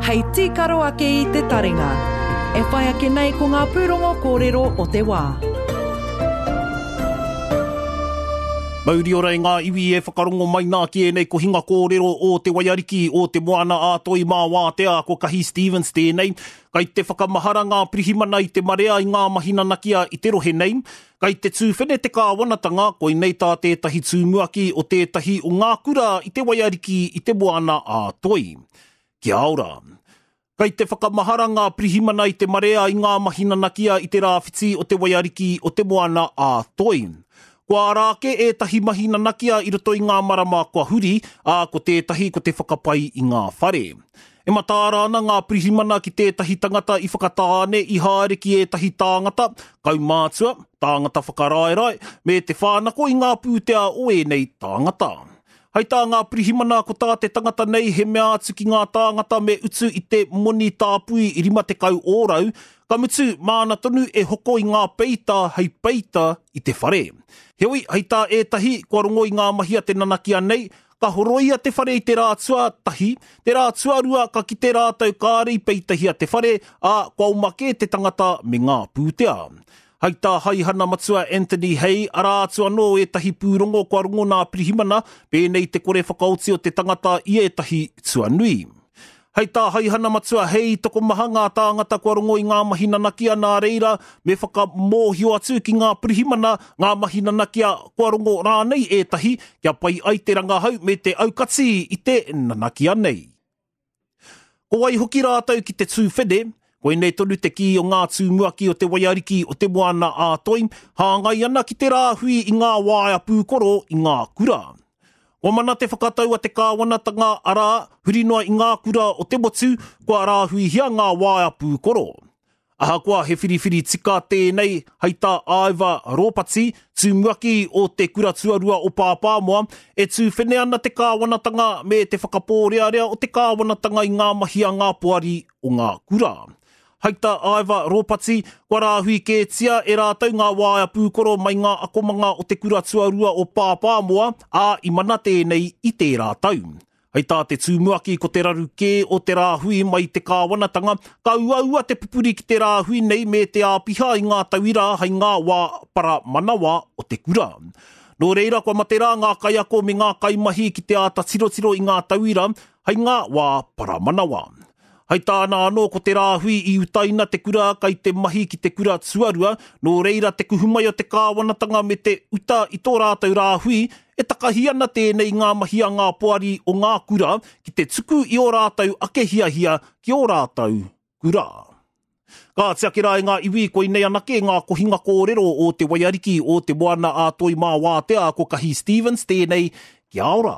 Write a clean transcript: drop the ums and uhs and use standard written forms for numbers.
Hei tīkaro ake i te taringa. E whai ake nei ko ngā pūrongo kōrero o te wā. Mauri ora e ngā iwi e whakarongo mai nā ki ēnei kohinga kōrero o Te Waiariki, o Te Moana a Toi mā Wātea, ko Kahi Stevens tēnei. Kai te whakamahara ngā pirihimana i te marea i ngā mahi nanakia i te rohe nei. Kai te tūwhene te kāwanatanga, koinei tā tētahi tūmuaki o tētahi o ngā kura i te Waiariki i te Moana a Toi. Kia ora. Kai te whakamahara ngā pirihimana i te marea i ngā mahi nanakia i te rāwhiti o te Waiariki o te Moana a Toi. Kua ara ake ētahi mahi nanakia i roto i ngā marama kua huri, ā, ko tētahi ko te whakapai i ngā whare. E mataara ana ngā pirihimana ki tētahi tangata i Whakatāne i haere ki ētahi tāngata, kaumātua, tāngata whakaraerae, me te whānako i ngā pūtea o ēnei tāngata. Hai tā ngā pirihimana ko tā te tangata nei he mea atu ki ngā tāngata me utu i te moni tāpui 50 ōrau, ka mutu māna tonu e hoko i ngā peita hei peita i te whare. Heoi, hei tā ētahi kua rongo i ngā mahi a te nanakia nei, Ka horoia te whare i te rā tuatahi, te rā tuarua ka kite rātou kāre i peitahia te whare, ā, kua oma kē te tangata me ngā pūtea. Hai tā Haihana Matua Anthony Hay, arā atu anō ētahi pūrongo kua rongo nā Pirihimana, pēnei te kore whakaoti o te tangata i ētahi tuanui. Hei tā Haihana Matua Hei, tokomaha ngā tāngata kua rongo i ngā mahi nanakia nā reira me whakamōhio atu ki ngā pirihimana ngā mahi nanakia kua rongo rānei ētahi kia pai ai te rangahau me te aukati i te nanakia nei. Ko wai hoki rātou ki te tūwhene, koinei tonu te kī o ngā tūmuaki o te waiariki o Te Moana a Toi, hāngai ana ki te rāhui i ngā waea pūkoro i ngā kura. Kua mana te whakatau a te kāwanatanga, arā, huri noa i ngā kura o te motu, kua rāhuihia ngā waea pūkoro. Ahakoa he whiriwhiri tika tēnei, hei tā Ivor Ropati, tumuaki o te Kura Tuarua o Pāpāmoa, e tūwhene ana te kāwanatanga me te whakapōrearea o te kāwanatanga i ngā mahi a ngā poari o ngā kura. Hai tā Ivor Ropati, kua rāhui kētia e rātou ngā waea pūkoro mai ngā akomanga o te kura tuarua o Pāpāmoa, ā, i mana tēnei i tērā tau. Hai tā te tumuaki ko te raru kē o te rāhui mai te kāwanatanga, ka uaua te pupuri ki te rāhui nei me te āpiha i ngā tauira hai ngā wā para manawa o te kura. Nō reira kua mate rā ngā kaiako me ngā kaimahi ki te āta tirotiro i ngā tauira hai ngā wā para manawa. Hai tāna anō ko te rāhui i utaina te kura kai te mahi ki te kura tuarua, nō reira te kuhu mai o te kāwanatanga me te uta i tō rātou rāhui, e takahi ana tēnei i ngā mahi a ngā poari o ngā kura ki te tuku i ō rātou ake hiahia ki ō rātou kura. Ka tiaki rā e ngā iwi koinei anake ngā kohinga kōrero o Te Waiariki o Te Moana a Toi Mā Wātea ko Kahi Stevens tēnei, kia ora!